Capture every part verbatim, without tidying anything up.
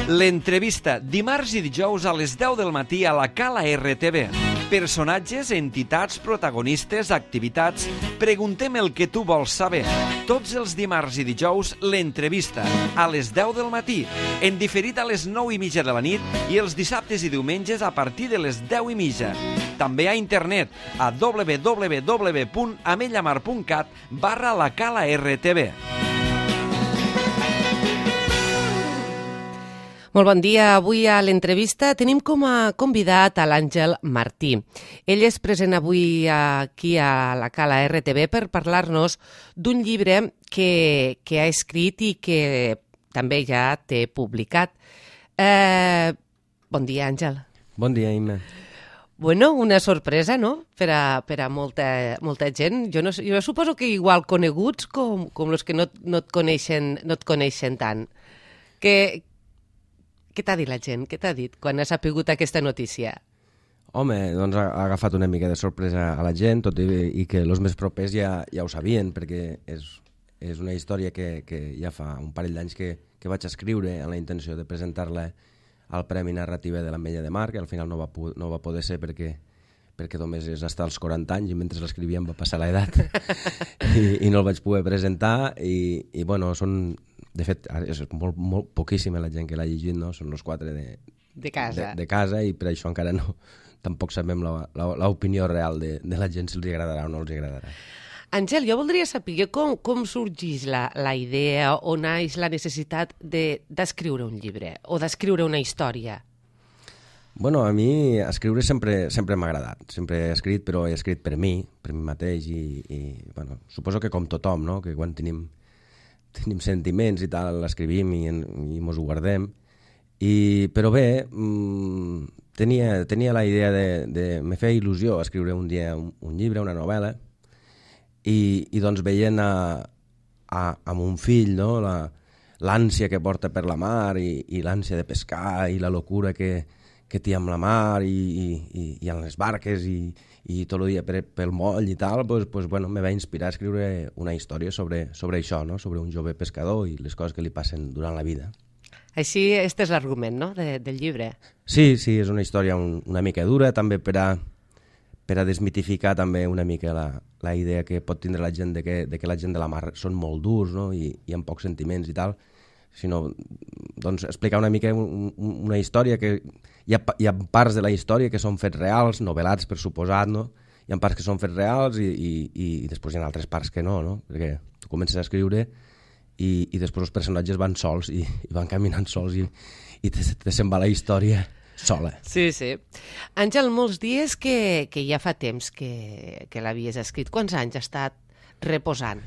L'entrevista, dimarts i dijous a les deu del matí a la Cala R T V. Personatges, entitats, protagonistes, activitats... Preguntem el que tu vols saber. Tots els dimarts i dijous, l'entrevista, a les deu del matí, en diferit a les nou i mitja de la nit i els dissabtes i diumenges a partir de les deu i mitja. També a internet a w w w punt amellamar punt cat barra la Cala R T V. Molt bon dia. Avui a l'entrevista tenim com a convidat a l'Àngel Martí. Ell és present avui aquí a la Cala R T V per parlar-nos d'un llibre que, que ha escrit i que també ja té publicat. Eh, bon dia, Àngel. Bon dia, Imma. Bueno, una sorpresa, no?, per a, per a molta, molta gent. Jo, no, jo suposo que igual coneguts com, com els que no, no, et coneixen, no et coneixen tant. Que... Què t'ha dit la gent? Què t'ha dit quan ha sapigut aquesta notícia? Home, doncs ha, ha agafat una mica de sorpresa a la gent, tot i, i que els més propers ja, ja ho sabien, perquè és, és una història que, que ja fa un parell d'anys que, que vaig escriure amb la intenció de presentar-la al Premi Narrativa de l'Ametlla de Mar, que al final no va, no va poder ser perquè, perquè només és estar als quaranta anys i mentre l'escrivíem va passar l'edat I, i no el vaig poder presentar i, i bueno, són... De fet, és molt, molt poquíssima la gent que l'ha llegit, no? Són els quatre de, de, casa. De, de casa i per això encara no, tampoc sabem l'opinió real de, de la gent si els agradarà o no els agradarà. Àngel, jo voldria saber com, com sorgeix la, la idea o naix la necessitat d'escriure de, un llibre o d'escriure una història. Bueno, a mi escriure sempre, sempre m'ha agradat. Sempre he escrit, però he escrit per mi, per mi mateix i, i bueno, suposo que com tothom, no? Que quan tenim tenim sentiments i tal, l'escrivim i, i mos ho guardem. I, però bé, mmm, tenia, tenia la idea de, de... Me feia il·lusió escriure un dia un, un llibre, una novel·la, i, i doncs veient a, a, a mon fill, no? La, l'ànsia que porta per la mar i, i l'ànsia de pescar i la locura que, que té amb la mar i, i, i amb les barques i, i tot el dia per, pel moll i tal, pues, pues, bueno, me va inspirar a escriure una història sobre, sobre això, no? Sobre un jove pescador i les coses que li passen durant la vida. Així, este és l'argument, no?, de, del llibre. Sí, sí, és una història un, una mica dura, també per a, per a desmitificar també una mica la, la idea que pot tindre la gent de que, de que la gent de la mar són molt durs, no?, i, i amb pocs sentiments i tal, sinó doncs, explicar una mica un, una història que... Hi ha, hi ha parts de la història que són fets reals, novel·lats per suposat, no? Hi ha parts que són fets reals i, i, i després hi ha altres parts que no, no? Perquè tu comences a escriure i, i després els personatges van sols i, i van caminant sols i, i te, te se'n va la història sola. Sí, sí. Àngel, molts dies que, que ja fa temps que, que l'havies escrit. Quants anys ha estat reposant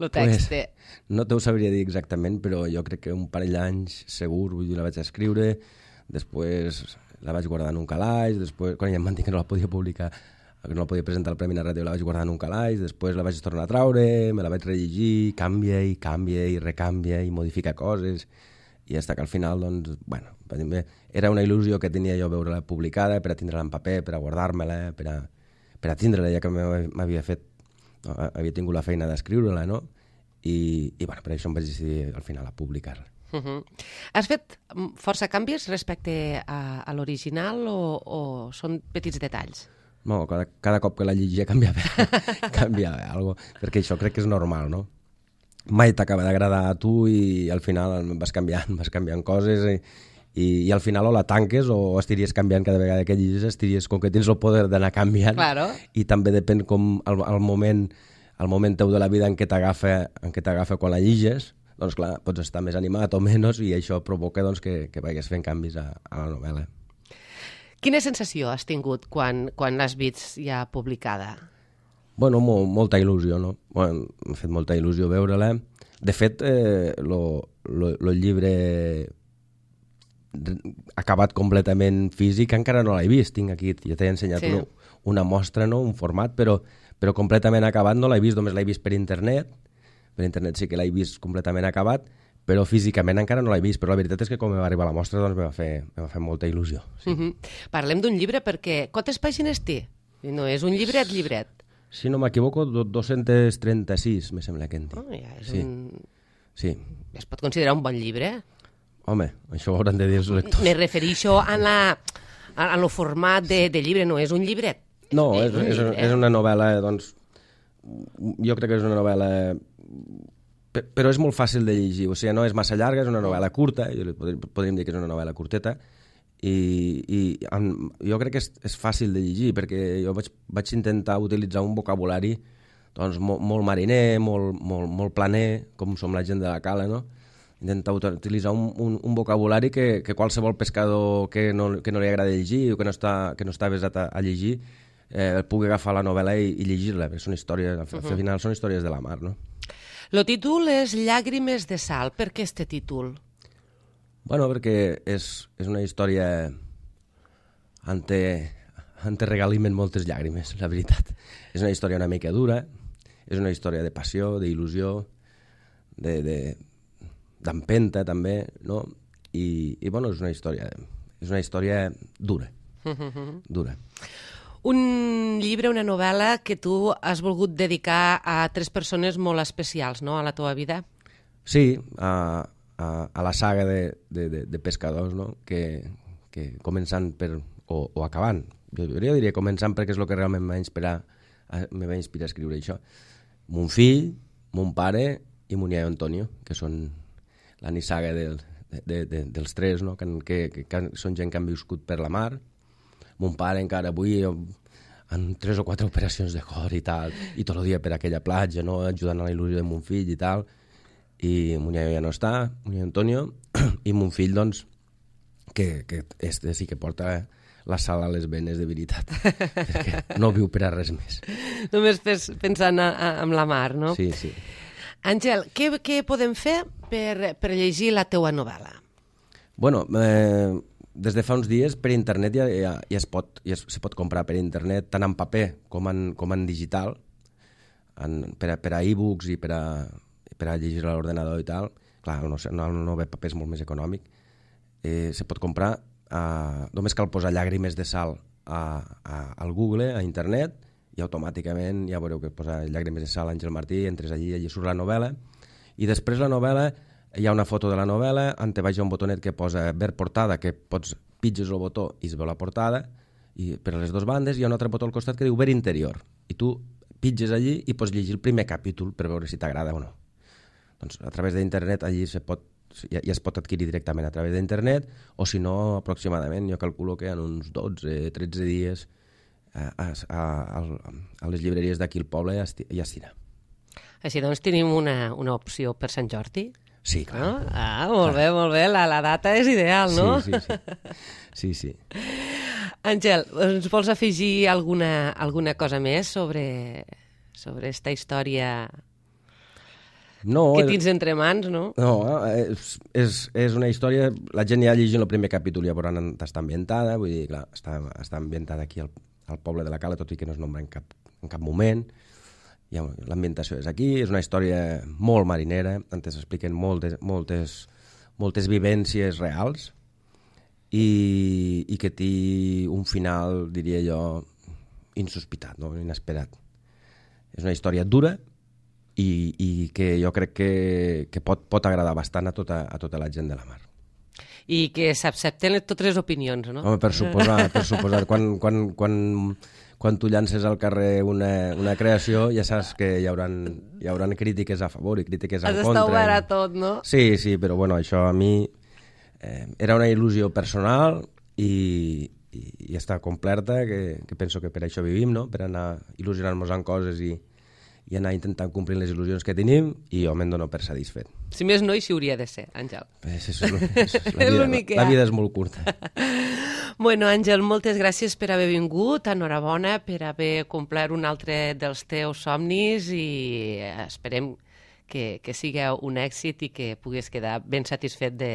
el text? Pues, no t'ho sabria dir exactament, però jo crec que un parell d'anys segur, vull dir, la vaig escriure. Després la vaig guardar en un calaix, després, quan ja em van dir que no la podia publicar, que no la podia presentar al Premi Narratiu, la vaig guardar en un calaix, després la vaig tornar a traure, me la vaig rellegir, canvia i canvia i recanvia i modifica coses, i fins que al final, doncs, bueno, era una il·lusió que tenia jo veure-la publicada per a tindre-la en paper, per a guardar-me-la, per a, per a tindre-la, ja que m'havia fet, havia tingut la feina d'escriure-la, no? I, i bueno, per això em vaig decidir al final a publicar-la. Uh-huh. Has fet força canvis respecte a, a l'original o, o són petits detalls? No, cada, cada cop que la llegia canviava, canviava alguna cosa, perquè això crec que és normal, no? Mai t'acaba d'agradar a tu i al final vas canviant, vas canviant coses i, i, i al final o la tanques o estiries canviant cada vegada que llegis, estiries, com que tens el poder d'anar canviant, claro. I també depèn com el, el moment el moment teu de la vida en què t'agafa en què t'agafa quan la lliges, doncs clar, pots estar més animat o menys i això provoca doncs, que, que vagis fent canvis a, a la novel·la. Quina sensació has tingut quan, quan l'has vist ja publicada? Bueno, mo, molta il·lusió, no? Bueno, m'ha fet molta il·lusió veure-la. De fet, eh, lo, lo, lo llibre acabat completament físic encara no l'he vist. Tinc aquí, ja t'he ensenyat sí. una, una mostra, no? Un format, però, però completament acabat no l'he vist, només l'he vist per internet. Per internet sí que l'he vist completament acabat, però físicament encara no l'he vist. Però la veritat és que quan va arribar a la mostra doncs, me va fer, me va fer molta il·lusió. Sí. Uh-huh. Parlem d'un llibre perquè quantes pàgines té? No és un llibret, llibret. Si no m'equivoco, dos-centes trenta-sis, me sembla que en té. Oh, ja és sí. un... Sí. Es pot considerar un bon llibre? Home, això ho hauran de dir els lectors. Me refereixo a la, a, a lo format de, de llibre, no és un llibret. No, és, és, un és, llibre. és una novel·la, doncs, jo crec que és una novel·la, però és molt fàcil de llegir, o sigui, no és massa llarga, és una novel·la curta, podríem dir que és una novel·la curteta, i, i jo crec que és, és fàcil de llegir, perquè jo vaig, vaig intentar utilitzar un vocabulari doncs, molt, molt mariner, molt, molt, molt planer, com som la gent de la cala, no? Intentar utilitzar un, un, un vocabulari que, que qualsevol pescador que no, que no li agrada llegir o que no està, que no està avesat a, a llegir eh, pugui agafar la novel·la i, i llegir-la, perquè són històries, al uh-huh. final són històries de la mar, no? El títol és Llàgrimes de sal. Per què este títol? Bueno, perquè és, és una història on te, on te regalimen moltes llàgrimes, la veritat. És una història una mica dura, és una història de passió, d'il·lusió, de... de d'empenta també, no? I, i bueno, és una història és una història dura, dura. Un llibre, una novel·la que tu has volgut dedicar a tres persones molt especials, no?, a la teva vida. Sí, a, a, a la saga de, de, de, de pescadors, no?, que, que començant per, o, o acabant, jo, jo diria començant perquè és el que realment m'ha inspirat, me va inspirar a escriure això. Mon fill, mon pare i mon iaio Antonio, que són la nissaga del, de, de, de, dels tres, no? que, que, que, que són gent que han viscut per la mar. Mon pare encara avui en tres o quatre operacions de cor i tal, i tot el dia per aquella platja, no? Ajudant a la il·lusió de mon fill i tal. I mon iaio ja no està, mon iaio Antonio, i mon fill, doncs, que, que este sí que porta la sal a les venes de veritat, perquè no viu per a res més. Només pensant a, a, en la mar, no? Sí, sí. Àngel, què, què podem fer per, per llegir la teua novel·la? Bueno, eh, des de fa uns dies per internet ja, ja, ja, es pot, ja es, se pot comprar per internet, tant en paper com en, com en digital, en, per, a, per a e-books i per a, per a llegir a l'ordenador i tal. Clar, el no, el no ve paper és molt més econòmic. Eh, se pot comprar, eh, només cal posar llàgrimes de sal a, a, al Google, a internet, i automàticament ja veureu que posa Llàgrimes de sal Àngel Martí, entres allí, allí surt la novel·la, i després la novel·la, hi ha una foto de la novel·la, on te vaig a un botonet que posa ver portada, que pots pitges el botó i es veu la portada, i per a les dues bandes hi ha un altre botó al costat que diu ver interior, i tu pitges allí i pots llegir el primer capítol per veure si t'agrada o no. Doncs a través d'internet allí se pot, ja, ja es pot adquirir directament a través d'internet, o si no, aproximadament, jo calculo que en uns dotze o tretze dies A, a, a, a les llibreries d'aquí al poble ja estirà. Així doncs tenim una, una opció per Sant Jordi? Sí, clar. No? Ah, molt clar. bé, molt bé. La, la data és ideal, no? Sí, sí, sí. sí, sí. Àngel, ens vols afegir alguna, alguna cosa més sobre, sobre esta història no, que tens és... entre mans, no? No, és, és, és una història... La gent ja llegint el primer capítol ja veuran on està ambientada, vull dir, clar, està, està ambientada aquí al al poble de la Cala, tot i que no es nombra en cap, en cap moment. L'ambientació és aquí, és una història molt marinera, on s'expliquen moltes, moltes, moltes vivències reals i, i que té un final, diria jo, insospitat, no? Inesperat. És una història dura i, i que jo crec que, que pot, pot agradar bastant a tota, a tota la gent de la mar. I que s'accepten totes les opinions, no? Home, per suposar, per suposar. Quan, quan, quan, quan tu llances al carrer una, una creació, ja saps que hi haurà, hi haurà crítiques a favor i crítiques en Has contra. d'estar obert a tot, no? Sí, sí, però bueno, això a mi eh, era una il·lusió personal i, i, i està complerta, que, que penso que per això vivim, no? Per anar il·lusionant-nos en coses i, i anar intentant complir les il·lusions que tenim, i jo me'n dono per satisfet. Si més no, així hauria de ser, Àngel. És, és, és, és la, vida, la, la vida és molt curta. Bueno, Àngel, moltes gràcies per haver vingut, enhorabona per haver complert un altre dels teus somnis i esperem que, que sigui un èxit i que puguis quedar ben satisfet de,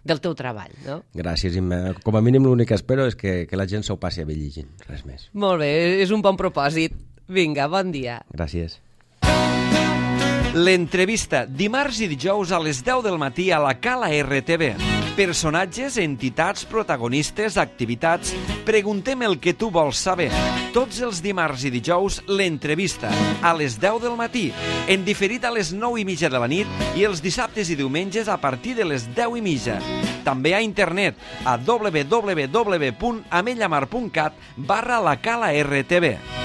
del teu treball, no? Gràcies, Imma. Com a mínim l'únic que espero és que, que la gent s'ho passi a bé llegint, res més. Molt bé, és un bon propòsit. Vinga, bon dia. Gràcies. L'entrevista, dimarts i dijous a les deu del matí a la Cala R T V. Personatges, entitats, protagonistes, activitats... Preguntem el que tu vols saber. Tots els dimarts i dijous, l'entrevista, a les deu del matí, en diferit a les nou i mitja de la nit i els dissabtes i diumenges a partir de les deu i mitja. També a internet a w w w punt amellamar punt cat barra la Cala R T V.